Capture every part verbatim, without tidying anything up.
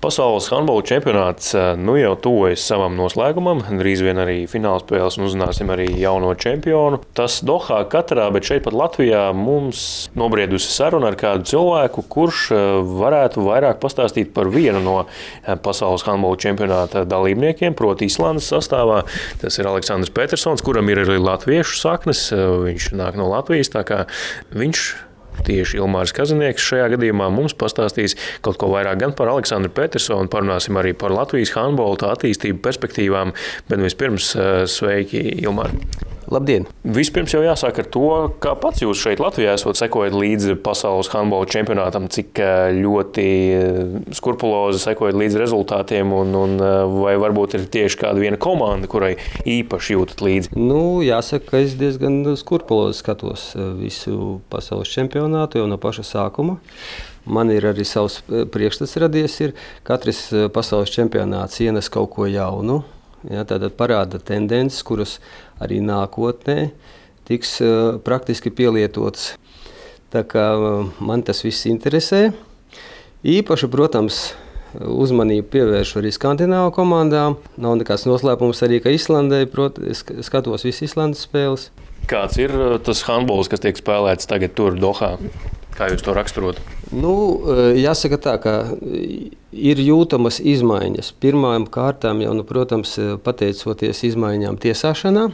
Pasaules handbola čempionāts nu jau tuvojas savam noslēgumam, drīz vien arī finālspēles un uzzināsim arī jauno čempionu. Tas Dohā Katarā, bet šeit pat Latvijā mums nobriedusi saruna ar kādu cilvēku, kurš varētu vairāk pastāstīt par vienu no pasaules handbola čempionāta dalībniekiem, proti Islandes sastāvā. Tas ir Aleksandrs Petersons, kuram ir arī latviešu saknes, viņš nāk no Latvijas, tā kā viņš tieši Ilmārs Kazanieks šajā gadījumā mums pastāstīs kaut ko vairāk gan par Aleksandru Petersonu, parunāsim arī par Latvijas handbola attīstību perspektīvām, bet vispirms sveiki, Ilmār. Labdien! Vispirms jau jāsāk ar to, kā pats jūs šeit Latvijā esot sekojat līdzi pasaules handbola čempionātam, cik ļoti skrupulozi sekojat līdzi rezultātiem un, un vai varbūt ir tieši kāda viena komanda, kurai īpaši jūtat līdzi? Nu, jāsaka, ka es diezgan skrupulozi skatos visu pasaules čempionātu jau no paša sākuma. Man ir arī savs priekšstats radies, ir katrs pasaules čempionāts ienes kaut ko jaunu. Ja, tātad parāda tendences, kuras arī nākotnē tiks uh, praktiski pielietotas. Tā kā uh, man tas viss interesē. Īpaši, protams, uzmanību pievēršu arī Skandināvu komandām. Nav nekāds noslēpums arī, ka Islandē, protams, es skatos visas Islandes spēles. Kāds ir tas handbols, kas tiek spēlēts tagad tur Dohā? Kā jūs to raksturot? Nu, jāsaka tā, ka ir jūtamas izmaiņas. Pirmām kārtām jau, nu, protams, pateicoties izmaiņām tiesāšanā.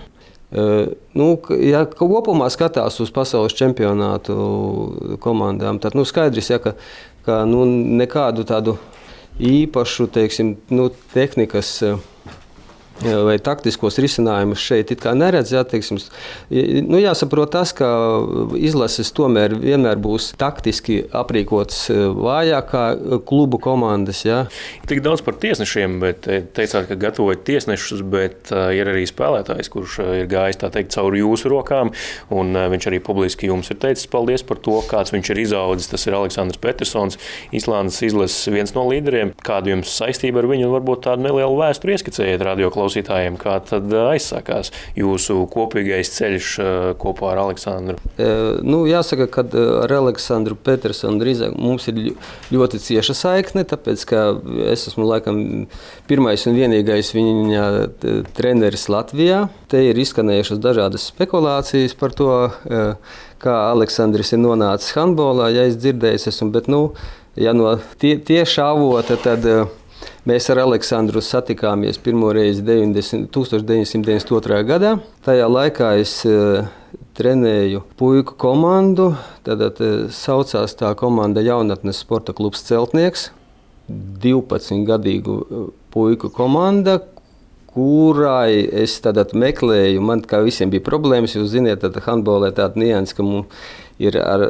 Nu, ja kopumā skatās uz pasaules čempionātu komandām, tad nu, skaidrs, ja, ka, ka nu, nekādu tādu īpašu, teiksim, nu, tehnikas vai taktiskos risinājumus šeit it kā neredz. Jā, teiksim, nu, jāsaprot tas, ka izlases tomēr vienmēr būs taktiski aprīkots vājāk kā klubu komandas. Jā. Tik daudz par tiesnešiem, bet teicāt, ka gatavojat tiesnešus, bet ir arī spēlētājs, kurš ir gājis tā teikt cauri jūsu rokām, un viņš arī publiski jums ir teicis paldies par to, kāds viņš ir izaudzis. Tas ir Aleksandrs Petersons, Islandes izlases viens no līderiem. Kāda jums saistība ar viņu un varbūt tādu nelielu vēsturi ieskicējiet radio klausītājiem, kā tad aizsākās jūsu kopīgais ceļš kopā ar Aleksandru? E, nu, jāsaka, ka ar Aleksandru Petersonu drīzāk mums ir ļoti cieša saikne, tāpēc, ka es esmu laikam pirmais un vienīgais viņa treneris Latvijā. Te ir izskanējušas dažādas spekulācijas par to, kā Aleksandrs ir nonācis handbolā, ja es dzirdējis esmu, bet, nu, ja no tie, tieša avota, tad mēs ar Aleksandru satikāmies pirmo reizi tūkstoš deviņsimt deviņdesmit otrajā gadā. Tajā laikā es uh, trenēju puiku komandu. Tad uh, saucās tā komanda Jaunatnes sporta klubs Celtnieks. divpadsmitgadīgu puiku komanda, kurai es tad meklēju. Man kā visiem bija problēmas, jūs ziniet, tad handbolē tāda nianses, ka mums ir ar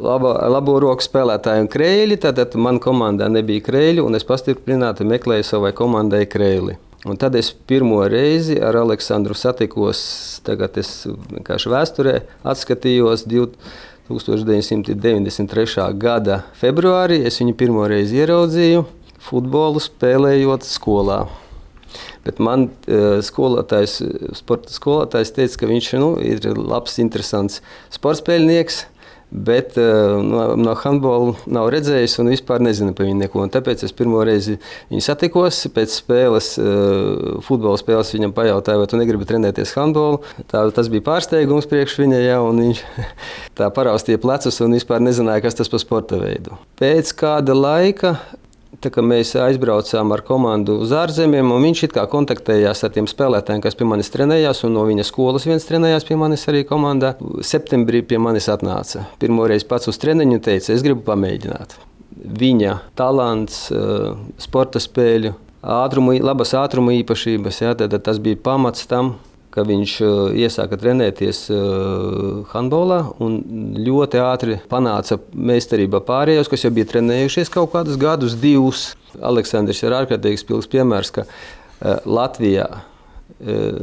labo, labo roku spēlētāju un krēļi, tad man komandā nebija krēļi, un es pastiprināti meklēju savai komandai krēli. Un tad es pirmo reizi ar Aleksandru satikos, tagad es vienkārši vēsturē atskatījos tūkstoš deviņsimt deviņdesmit trešā gada februārī, es viņu pirmo reizi ieraudzīju futbolu spēlējot skolā. Bet man skolotājs, sporta skolotājs teica, ka viņš nu, ir labs, interesants sportspēļnieks, bet no, no handbola nav redzējis un vispār nezina par viņu neko. Un tāpēc es pirmo reizi viņu satikos, pēc spēles, futbola spēles viņam pajautāju, vai tu negribi trenēties handbolu. Tā, tas bija pārsteigums priekš viņa, ja, un viņš tā paraustīja plecus un vispār nezināja, kas tas par sporta veidu. Pēc kāda laika tā kā mēs aizbraucām ar komandu uz ārzemēm, un viņš it kā kontaktējās ar tiem spēlētājiem, kas pie manis trenējās, un no viņa skolas viens trenējās pie manis arī komandā. Septembrī pie manis atnāca. Pirmoreiz pats uz treniņu teica, es gribu pamēģināt. Viņa talants, sporta spēļu, ātrumu, labas ātruma īpašības, jā, tad tas bija pamats tam, ka viņš iesāka trenēties handbolā un ļoti ātri panāca meistarībā pārējos, kas jau bija trenējušies kaut kādus gadus, divus. Aleksandrs ir ārkārtīgi spilgs piemērs, ka Latvijā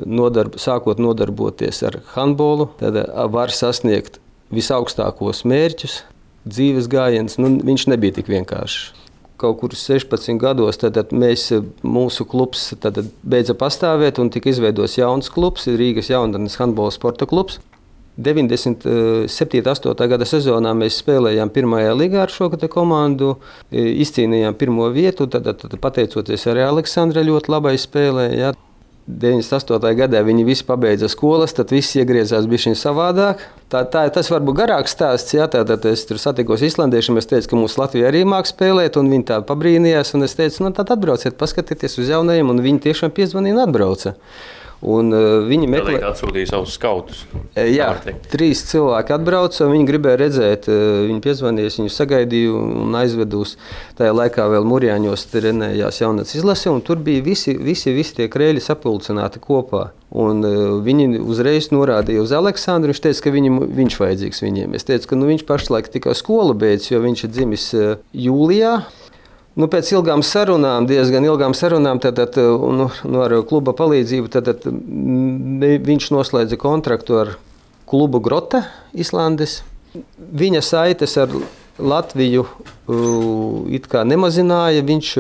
nodarb, sākot nodarboties ar handbolu, tad var sasniegt visaugstākos mērķus, dzīves gājiens, nu, viņš nebija tik vienkāršs. Kaut kur sešpadsmit gados tad mēs, mūsu klubs tad beidza pastāvēt un tika izveidots jauns klubs, Rīgas Jaunatnes handbola sporta klubs. deviņdesmit septītā astotā gada sezonā mēs spēlējām pirmajā līgā ar šo komandu, izcīnījām pirmo vietu, tad, tad pateicoties arī Aleksandra ļoti labai spēlē. Jā. deviņdesmit astotajā gadā viņi visi pabeidza skolas, tad viss iegriezās bišķiņ savādāk. Tā, tā, tas varbūt garāks stāsts, jā, tā, tad es tur satikos islandiešiem, es teicu, ka mums Latvija arī māk spēlēt, un viņi tā pabrīnījās, un es teicu, nu tad atbrauciet, paskatieties uz jaunajiem, un viņi tiešām piezvanīja un atbrauca. Un, uh, viņi meklē... Tādēļ atsūtīja savus skautus. Jā, trīs cilvēki atbrauca, viņi gribēja redzēt, viņi piezvanīja, viņu sagaidīju un aizvedu uz tajā laikā vēl Murjāņos trenējās jaunatnes izlase, un tur bija visi, visi, visi tie krēļi sapulcināti kopā. Un uh, viņi uzreiz norādīja uz Aleksandru, viņš teica, ka viņam, viņš vajadzīgs viņiem. Es teicu, ka nu, viņš pašlaik tikai skolu beidz, jo viņš ir dzimis uh, jūlijā. Nu, pēc ilgām sarunām, diezgan ilgām sarunām, tad, tad, nu, nu, ar kluba palīdzību tad, tad, viņš noslēdza kontraktu ar klubu Grote, Islandes. Viņa saites ar Latviju it kā nemazināja. Viņš,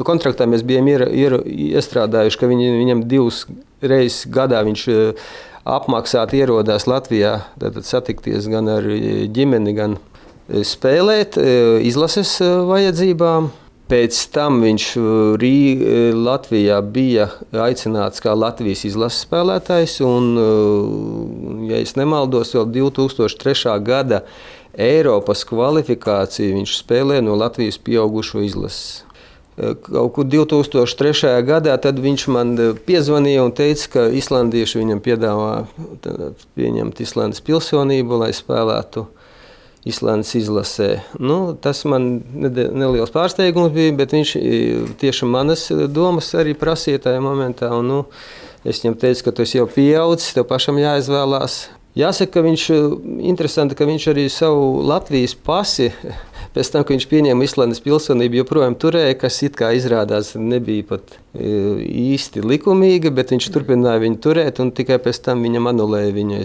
kontraktā mēs bijām ier, ier, iestrādājuši, ka viņ, viņam divas reizes gadā viņš apmaksāti ierodās Latvijā, tad satikties gan ar ģimeni, gan spēlēt izlases vajadzībām. Pēc tam viņš Rī, Latvijā bija aicināts kā Latvijas izlases spēlētājs, un, ja es nemaldos, vēl divi tūkstoši trešā gada Eiropas kvalifikāciju viņš spēlē no Latvijas pieaugušo izlases. Kaut kur divi tūkstoši trešajā gadā tad viņš man piezvanīja un teica, ka islandieši viņam piedāvā pieņemt Islandes pilsonību, lai spēlētu Islandes izlasē. Nu, tas man neliels pārsteigums bija, bet viņš tieši manas domas arī prasīja tajā momentā. Un, nu, es viņam teicu, ka tu esi jau pieaudzis, tev pašam jāizvēlās. Jāsaka, ka viņš, interesanti, ka viņš arī savu Latvijas pasi, pēc tam, ka viņš pieņēma Islandes pilsonību, joprojām turēja, kas it kā izrādās nebija pat īsti likumīga, bet viņš turpināja viņu turēt un tikai pēc tam viņam anulēja viņu.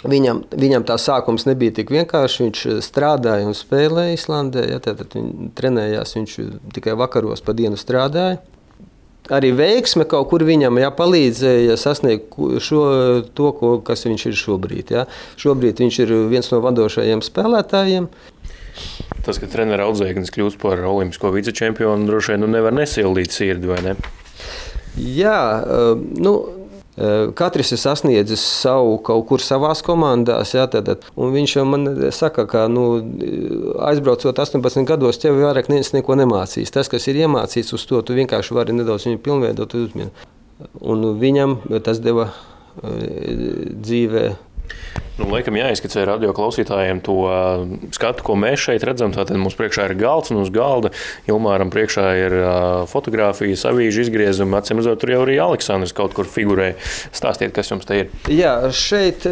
Viņam, viņam tā sākums nebija tik vienkārši. Viņš strādāja un spēlēja Islandē. Ja, tad viņš trenējās, viņš tikai vakaros pa dienu strādāja. Arī veiksme kaut kur viņam ja, palīdzēja sasniegt šo, to, ko, kas viņš ir šobrīd. Ja. Šobrīd viņš ir viens no vadošajiem spēlētājiem. Tas, ka trenera audzēknis kļūst par olimpisko vicečempionu, droši vien nu nevar nesildīt sirdi, vai ne? Jā, nu... Katrs ir sasniedzis savu kaut kur savās komandās, jā, tad, un viņš jau man saka, ka nu, aizbraucot astoņpadsmit gados, tev vairāk neviens neko nemācīs. Tas, kas ir iemācīts uz to, tu vienkārši vari nedaudz viņu pilnveidot uzmini. Un viņam tas deva dzīvē. Nu, laikam jāizskicē radio klausītājiem to skatu, ko mēs šeit redzam. Tātad mums priekšā ir galds un uz galda Ilmāram priekšā ir fotogrāfijas, avīžu izgriezumi. Acīm redzot, tur jau arī Aleksandrs kaut kur figurē. Stāstiet, kas jums te ir. Jā, šeit,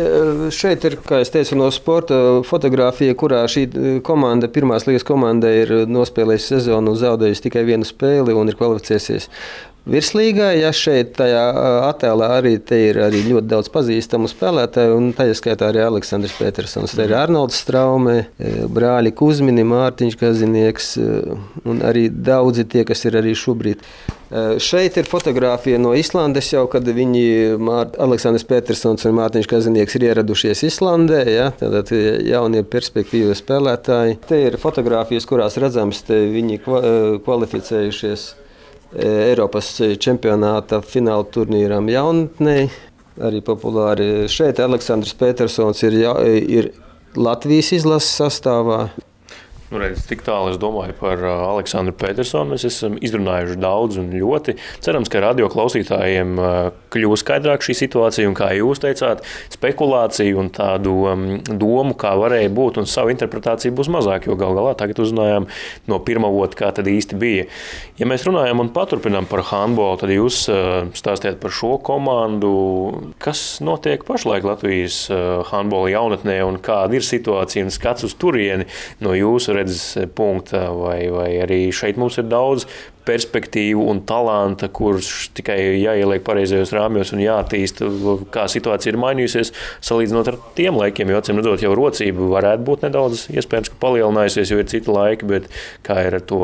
šeit ir, kā es teicu, no sporta fotogrāfija, kurā šī komanda, pirmās līgas komanda ir nospēlējusi sezonu un zaudējusi tikai vienu spēli un ir kvalificējusies virslīgā. Ja šeit tajā attēlā arī te ir arī ļoti daudz pazīstamu spēlētāju, un tajā skaitā arī Aleksandrs Petersons. Te ir Arnolds Straumē, brāļi Kuzmini, Mārtiņš Kazinieks un arī daudzi tie, kas ir arī šobrīd. Šeit ir fotogrāfija no Islandes jau, kad viņi, Aleksandrs Petersons un Mārtiņš Kazinieks ir ieradušies Islandē, ja, tātad jaunie perspektīvi spēlētāji. Te ir fotogrāfijas, kurās redzams, te viņi kvalificējušies Eiropas čempionāta fināla turnīram jaunatnei, arī populāri. Šeit Aleksandrs Petersons ir, ir Latvijas izlases sastāvā. Nu, redz, tik tālu es domāju par Aleksandru Petersonu. Mēs esam izrunājuši daudz un ļoti. Cerams, ka radio klausītājiem kļūs skaidrāk šī situācija un, kā jūs teicāt, spekulācija un tādu domu, kā varēja būt, un savu interpretāciju būs mazāk, jo gal galā tagad uzzinājām no pirmā vota, kā tad īsti bija. Ja mēs runājam un paturpinām par handbolu, tad jūs stāstiet par šo komandu. Kas notiek pašlaik Latvijas handbola jaunatnē un kāda ir situācija un skats uz turieni no jūsu redzes punkta, vai, vai arī šeit mums ir daudz perspektīvu un talanta, kurš tikai jāieliek pareizajos rāmjos un jātīsta, kā situācija ir mainījusies, salīdzinot ar tiem laikiem, jo acīm redzot, jau rocība varētu būt nedaudz iespējams, ka palielinājusies, jo ir citi laiki, bet kā ir ar to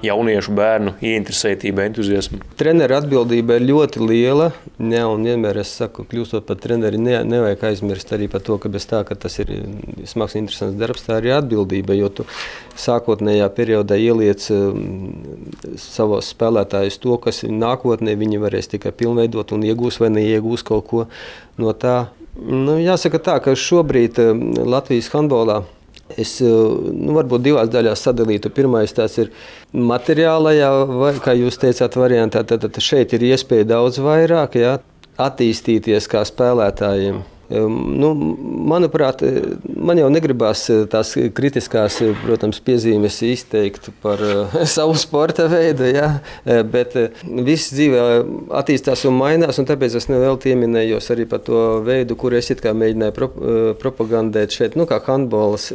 jauniešu bērnu ieinteresētību, entuziasmu? Treneru atbildība ir ļoti liela, jā, un vienmēr es saku, kļūstot par treneri, ne, nevajag aizmirst arī par to, ka bez tā, ka tas ir smags, interesants darbs, tā ir atbildība, jo tu sākotnējā periodā ieliec savos spēlētājus to, kas nākotnē viņi varēs tikai pilnveidot un iegūs vai neiegūs kaut ko no tā. Nu, jāsaka tā, ka šobrīd Latvijas handbolā es nu, varbūt divās daļās sadalītu. Pirmais tās ir materiālajā, vai, kā jūs teicāt, variantā. Tad, tad šeit ir iespēja daudz vairāk, jā, attīstīties kā spēlētājiem. Nu, manuprāt, man jau negribās tās kritiskās, protams, piezīmes izteikt par savu sporta veidu, ja? Bet viss dzīvē attīstās un mainās, un tāpēc es nevelti ieminējos arī par to veidu, kur es it kā mēģināju pro, propagandēt šeit, nu, kā handbolas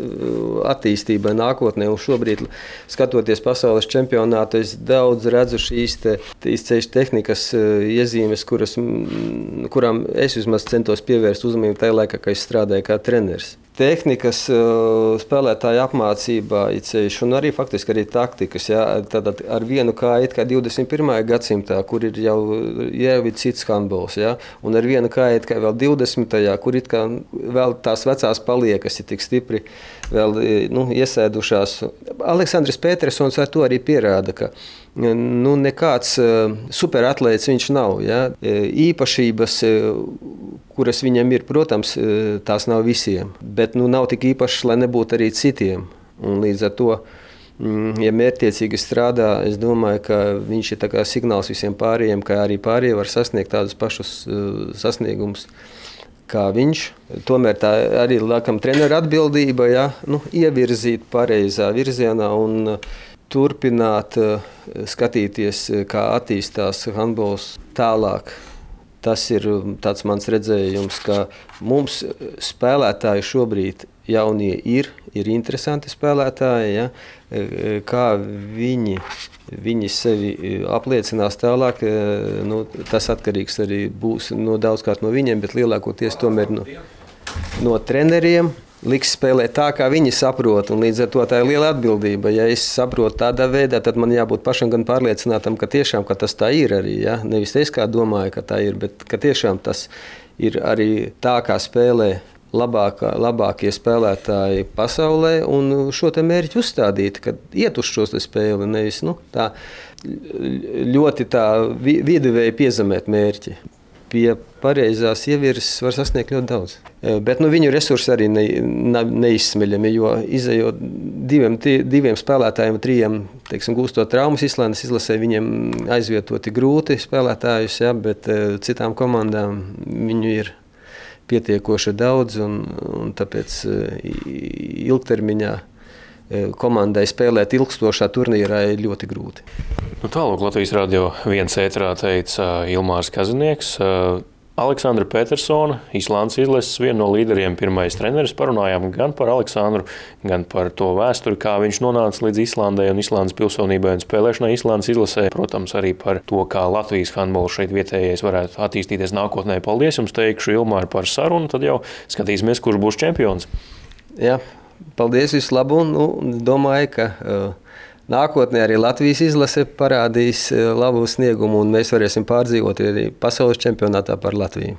attīstībai nākotnē, un šobrīd, skatoties pasaules čempionātu, es daudz redzu šīs te, ceļu tehnikas iezīmes, kuras, kurām es vismaz centos pievērst uzmanību tajā laikā, kad es strādāju kā treneris. Tehnikas, spēlētāja apmācībā ir ceļš, un arī faktiski arī taktikas. Jā, tad ar vienu kāju kā divdesmit pirmajā gadsimtā, kur ir jau, jau ir cits handbols, jā, un ar vienu kāju kā vēl divdesmitajā, kur it kā vēl tās vecās paliekas ir tik stipri vēl, nu, iesēdušās. Aleksandrs Petersons ar to arī pierāda, ka nu, nekāds superatlēts viņš nav. Ja? Īpašības, kuras viņam ir, protams, tās nav visiem, bet nu, nav tik īpašas, lai nebūtu arī citiem. Un līdz ar to, ja mērķtiecīgi strādā, es domāju, ka viņš ir tā kā signāls visiem pārējiem, ka arī pārējie var sasniegt tādus pašus sasniegumus kā viņš. Tomēr tā arī, laikam, treneru atbildība, ja? Nu, ievirzīt pareizā virzienā un turpināt skatīties, kā attīstās handbols tālāk. Tas ir tāds mans redzējums, ka mums spēlētāji šobrīd jaunie ir, ir interesanti spēlētāji, ja? Kā viņi, viņi sevi apliecinās tālāk, nu, tas atkarīgs arī būs no daudzkārt no viņiem, bet lielākoties tomēr no, no treneriem. Liks spēlēt tā, kā viņi saprot, un līdz ar to tā ir liela atbildība. Ja es saprotu tādā veidā, tad man jābūt pašam gan pārliecinātam, ka tiešām ka tas tā ir arī. Ja? Nevis es kā domāju, ka tā ir, bet ka tiešām tas ir arī tā, kā spēlē labākā, labākie spēlētāji pasaulē, un šo te mērķi uzstādīt, kad iet uz šo spēli, nevis nu, tā ļoti tā viduvēji piezemēt mērķi. Pie pareizās ievirzes var sasniegt ļoti daudz. Bet nu, viņu resursi arī ne, ne, neizsmeļami, jo izejot diviem, diviem spēlētājiem, trījiem, teiksim, gūstot traumas Islandes izlasē, viņiem aizvietoti grūti spēlētājus, ja, bet citām komandām viņu ir pietiekoši daudz, un, un tāpēc ilgtermiņā komandai spēlēt ilgstošā turnīrā ir ļoti grūti. Nu, tālāk Latvijas radio viens ēterā teica Ilmārs Kazinieks. Aleksandra Petersona, Islandes izlases viena no līderiem, pirmais treneris. Parunājām gan par Aleksandru, gan par to vēsturi, kā viņš nonāca līdz Islandai un Islandes pilsonībai un spēlēšanai Islandes izlasē. Protams, arī par to, kā Latvijas handbols šeit vietējais varētu attīstīties nākotnē. Paldies jums, teikšu Ilmāri par sarunu, tad jau skatīsimies, kurš būs čempions. Jā, paldies, visu labu, un nu, domāju, ka uh, nākotnē arī Latvijas izlase parādīs uh, labu sniegumu, un mēs varēsim pārdzīvot arī pasaules čempionātā par Latviju.